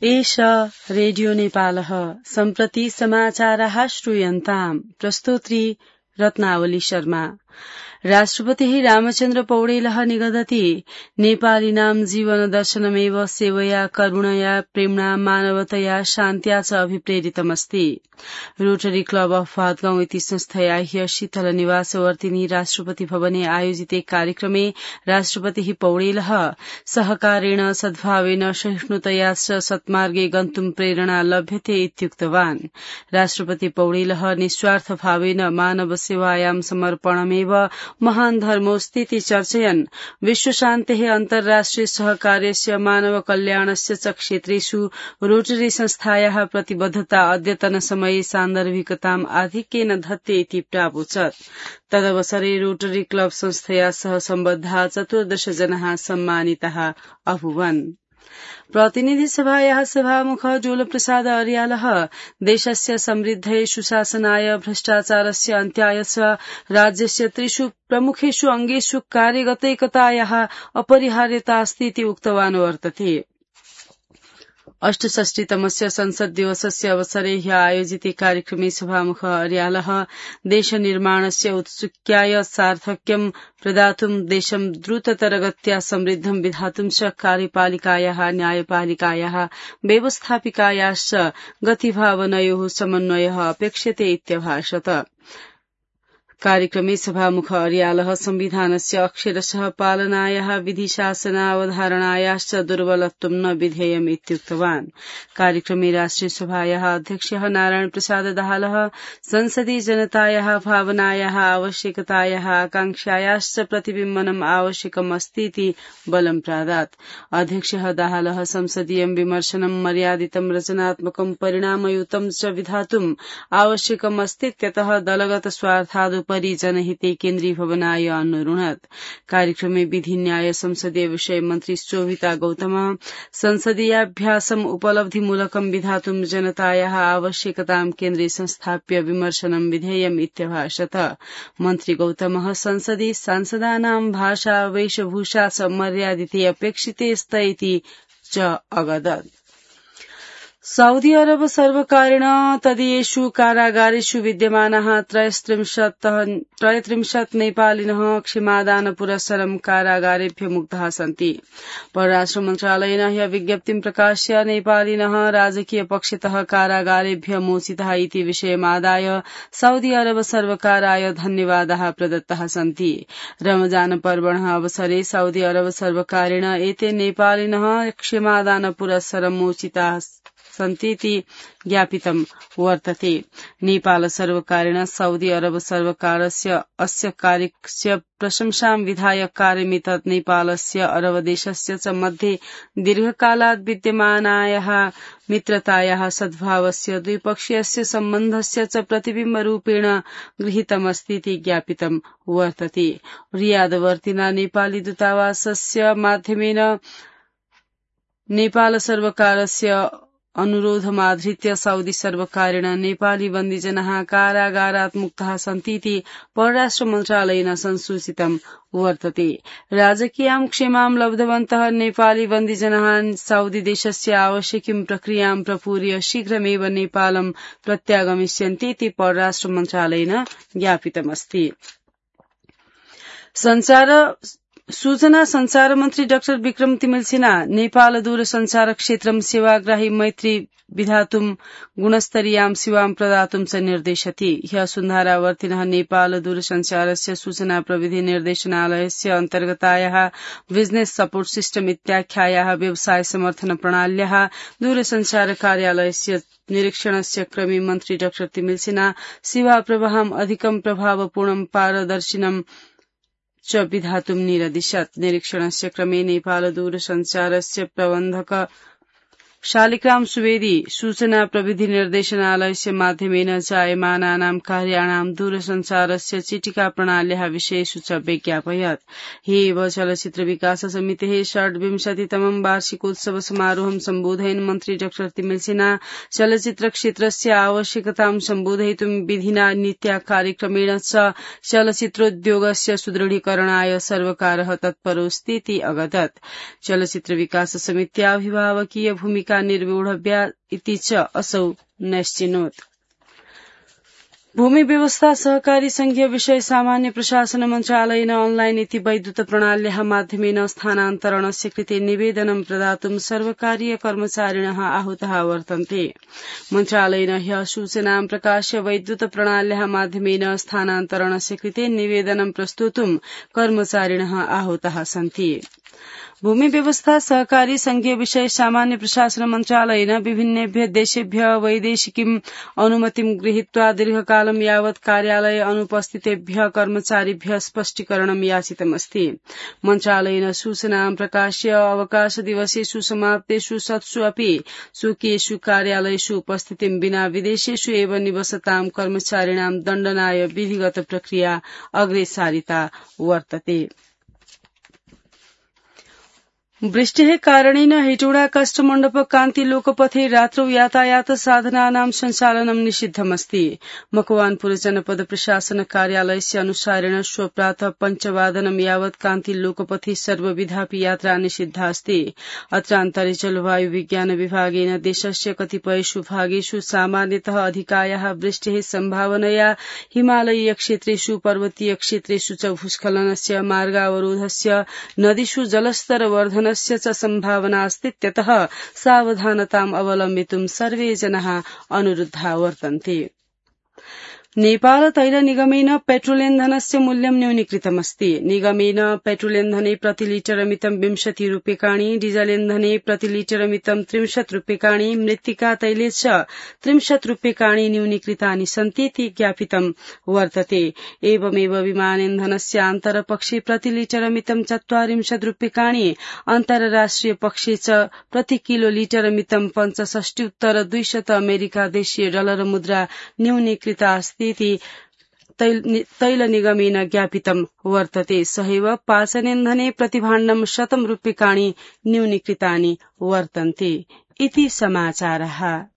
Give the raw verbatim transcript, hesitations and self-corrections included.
एष रेडियो नेपालः सम्प्रति समाचाराः श्रूयन्ताम्। प्रस्तोत्री रत्नावली शर्मा। राष्ट्रपतिः रामचन्द्र पौडेलः निगदति नेपालीनां जीवन दर्शनमेव सेवया करुणया प्रेम्णा मानवतया शान्त्या च अभिप्रेरितमस्ति। रोटरी क्लब अफ भातगाउँ इति संस्थया ह्य शीतल निवासवर्तिनी राष्ट्रपति भवने आयोजिते कार्यक्रमे राष्ट्रपतिः पौडेलः सहकारेण सद्भावेन सहिष्णुतया च सत्मार्गे गन्तुं प्रेरणा लभ्यते इत्युक्तवान्। राष्ट्रपति पौडेलः निस्वार्थ भावेन मानव सेवायां समर्पणमेव महान् धर्मोऽस्तीति चर्चयन् विश्वशान्तेः अन्ताराष्ट्रिय सहकार्यस्य मानव कल्याणस्य च क्षेत्रेषु रोटरी संस्थायाः प्रतिबद्धता अद्यतन समये सान्दर्भिकताम् आधिक्येन धत्ते इति प्रावोचत्। तदवसरे रोटरी क्लब संस्थया सह सम्बद्धाः चतुर्दश जनाः सम्मानिताः अभूवन्। प्रतिनिधि सभायाः सभामुख जोलप्रसाद अर्यालः देशस्य समृद्धये सुशासनाय भ्रष्टाचारस्य अन्त्याय च राज्यस्य त्रिषु प्रमुखेषु अङ्गेषु कार्यगतैकतायाः अपरिहार्यता अस्ति इति उक्तवान् वर्तते। अष्टषष्टितमस्य संसद दिवसस्य अवसरे ह्य आयोजिते कार्यक्रमे सभामुख अर्यालः देशनिर्माणस्य औत्सुक्याय सार्थक्यं प्रदातुं देशं द्रुततरगत्या समृद्धं विधातुं च कार्यपालिकायाः न्यायपालिकायाः व्यवस्थापिकायाश्च गतिभावनयोः समन्वयः अपेक्ष्यते इत्यभाषत। कार्यक्रमे सभामुख अर्यालः संविधानस्य अक्षरशः पालनायाः विधिशासनावधारणायाश्च दुर्बलत्वं न विधेयम् इत्युक्तवान्। कार्यक्रमे राष्ट्रिय सभायाः अध्यक्षः नारायण प्रसाद दाहालः संसदीय जनतायाः भावनायाः आवश्यकतायाः आकांक्षायाश्च प्रतिबिम्बनम् आवश्यकम् अस्तीति बलं प्रादात्। अध्यक्षः दाहालः संसदीयं विमर्शनं मर्यादितं रचनात्मकं परिणामयुतं च विधातुम् आवश्यकम् अस्तीत्यतः दलगत स्वार्थादुपरि जनहिते केन्द्रीभवनाय अनुरुणत्। कार्यक्रमे विधि न्याय संसदीय विषय मन्त्री शोभिता गौतम संसदीयाभ्यासम् उपलब्धिमूलकं विधातुं जनतायाः आवश्यकतां केन्द्रे संस्थाप्य विमर्शनं विधेयम् इत्यभाषत। मन्त्री गौतमः संसदि सांसदानां भाषा वेशभूषा च मर्यादिते अपेक्षिते स्त इति च अगदत्। सऊदी अरब सर्वकारेण तदीयेषु कारागारेषु विद्यमानाः त्रयस्त्रिंशत् नेपालिनः क्षमादानपुरस्सरं कारागारेभ्य मुक्ताः सन्ति। परराष्ट्र मन्त्रालयेन ह्य विज्ञप्तिं प्रकाश्य नेपालिनः राजकीय पक्षतः कारागारेभ्य मोचिताः इति विषयमादाय सऊदी अरब सर्वकाराय धन्यवादाः प्रदत्ताः सन्ति। रमजान पर्वणः अवसरे सऊदी अरब सर्वकारेण एते नेपालिनः क्षमादानपुरस्सरं मोचिताः सन्तीति ज्ञापितं वर्तते। नेपाल सर्वकारेण सऊदी अरब सर्वकारस्य अस्य कार्यस्य प्रशंसां विधाय कार्यमितत् नेपालस्य अरब देशस्य च मध्ये दीर्घकालात् विद्यमानायाः मित्रतायाः सद्भावस्य द्विपक्षीयस्य सम्बन्धस्य च प्रतिबिम्बरूपेण गृहीतमस्तीति ज्ञापितं वर्तते। रियादवर्तिना नेपाली दूतावासस्य माध्यमेन नेपाल सर्वकारस्य अनुरोधमाधृत्य सऊदी सर्वकारेण नेपाली बन्दीजनाः कारागारात् मुक्ताः सन्तीति परराष्ट्र मन्त्रालयेन संसूचितं वर्तते। राजकीयां क्षेमां लब्धवन्तः नेपाली बन्दीजनाः सऊदी देशस्य आवश्यकीं प्रक्रियां प्रपूर्य शीघ्रमेव नेपालं प्रत्यागमिष्यन्तीति परराष्ट्र मन्त्रालयेन ज्ञापितमस्ति। संचार सूचना संचार मन्त्री डाक्टर विक्रम तिमिल्सिना नेपाल दूरसञ्चार क्षेत्रं सेवाग्राही मैत्री विधातुं गुणस्तरीयां सेवां प्रदातुं च निर्देशति। ह्य सुन्धारावर्तिनः नेपाल दूरसञ्चारस्य सूचना प्रविधि निर्देशनालयस्य अन्तर्गतायाः बिजनेस सपोर्ट सिस्टम इत्याख्यायाः व्यवसाय समर्थन प्रणाल्याः दूरसञ्चार कार्यालयस्य निरीक्षणस्य क्रमे मन्त्री डाक्टर तिमिल्सिना सेवा प्रवाहम् अधिकं प्रभावपूर्णं पारदर्शिनं च विधातुं निरदिशत्। निरीक्षणस्य क्रमे नेपाल दूरसञ्चारस्य प्रबन्धक शालिग्राम सुवेदी सूचना प्रविधि निर्देशनालयस्य माध्यमेन जायमानानां कार्याणां दूरसञ्चारस्य चिटिका प्रणाल्याः विषयेषु च विज्ञापयत्। ह्येव चलचित्र विकास समितेः षड्विंशतितमं वार्षिकोत्सव समारोहं सम्बोधयन् मन्त्री डाक्टर तिमिल्सिना चलचित्र क्षेत्रस्य आवश्यकतां सम्बोधयितुं विधिना नीत्या कार्यक्रमेण च चलचित्रोद्योगस्य सुदृढीकरणाय सर्वकारः तत्परोऽस्तीति अगदत्। चलचित्र विकास समित्या अभिभावकीय भूमिका भूमिका निर्वोढव्या इति च असौ नैश्चिनोत्। भूमि व्यवस्था सहकारी संघीय विषय सामान्य प्रशासन मन्त्रालयेन ऑनलाइन इति वैद्युत प्रणाल्याः माध्यमेन स्थानान्तरणस्य कृते निवेदनं प्रदातुं सर्वकारीय कर्मचारिणः आहूताः वर्तन्ते। मन्त्रालयेन ह्यः सूचनां प्रकाश्य वैद्युत प्रणाल्याः माध्यमेन स्थानान्तरणस्य कृते निवेदनं प्रस्तोतुं कर्मचारिणः आहूताः सन्ति। भूमि व्यवस्था सहकारी संघीय विषय सामान्य प्रशासन मन्त्रालयेन विभिन्नेभ्य देशेभ्य वैदेशिकीम् अनुमतिं गृहीत्वा दीर्घकालं यावत् कार्यालये अनुपस्थितेभ्य कर्मचारिभ्य स्पष्टीकरणं याचितमस्ति। मन्त्रालयेन सूचनां प्रकाश्य अवकाश दिवसेषु समाप्तेषु सत्सु अपि स्वकीयेषु कार्यालयेषु उपस्थितिं विना विदेशेषु एव निवसतां कर्मचारिणां दण्डनाय विधिगत प्रक्रिया अग्रे सारिता वर्तते। वृष्टेः कारणेन हेटौडा काष्ठमण्डप कान्ति लोकपथे रात्रौ यातायात साधनानां सञ्चालनं निषिद्धमस्ति। मकवानपुर जनपद प्रशासन कार्यालयस्य अनुसारेण श्व प्रातः पञ्चवादनं यावत् कान्ति लोकपथे सर्वविधापि यात्रा निषिद्धा अस्ति। अत्रान्तरे जलवायु विज्ञान विभागेन देशस्य कतिपयेषु भागेषु सामान्यतः अधिकायाः वृष्टेः सम्भावनया हिमालयीय क्षेत्रेषु पर्वतीय क्षेत्रेषु च भूस्खलनस्य मार्गावरोधस्य नदीषु जलस्तर वर्धन च सम्भावना अस्तीत्यतः सावधानताम् अवलम्बितुं सर्वे जनाः अनुरुद्धा वर्तन्ते। नेपाल तैल निगमेन पेट्रोलेन्धनस्य मूल्यं न्यूनीकृतमस्ति। निगमेन पेट्रोलेन्धने प्रतिलिटरमितं विंशति रूप्यकाणि, डीजलेन्धने प्रतिलिटरमितं त्रिंशत् रूप्यकाणि, मृत्तिका तैले च त्रिंशत् रूप्यकाणि न्यूनीकृतानि सन्तीति ज्ञापितं वर्तते। एवमेव विमानेन्धनस्य आन्तरपक्षे प्रतिलिटरमितं चत्वारिंशत् रूप्यकाणि, अन्ताराष्ट्रिय पक्षे च प्रति किलोलिटरमितं पञ्चषष्ट्युत्तर द्विशत अमेरिका देशीय डलर मुद्रा न्यूनीकृता अस्ति तैल निगमेन ज्ञापितं वर्तते। सहैव पाचनेन्धने प्रतिभाण्डं शतं रूप्यकाणि न्यूनीकृतानि वर्तन्ते। इति समाचारः।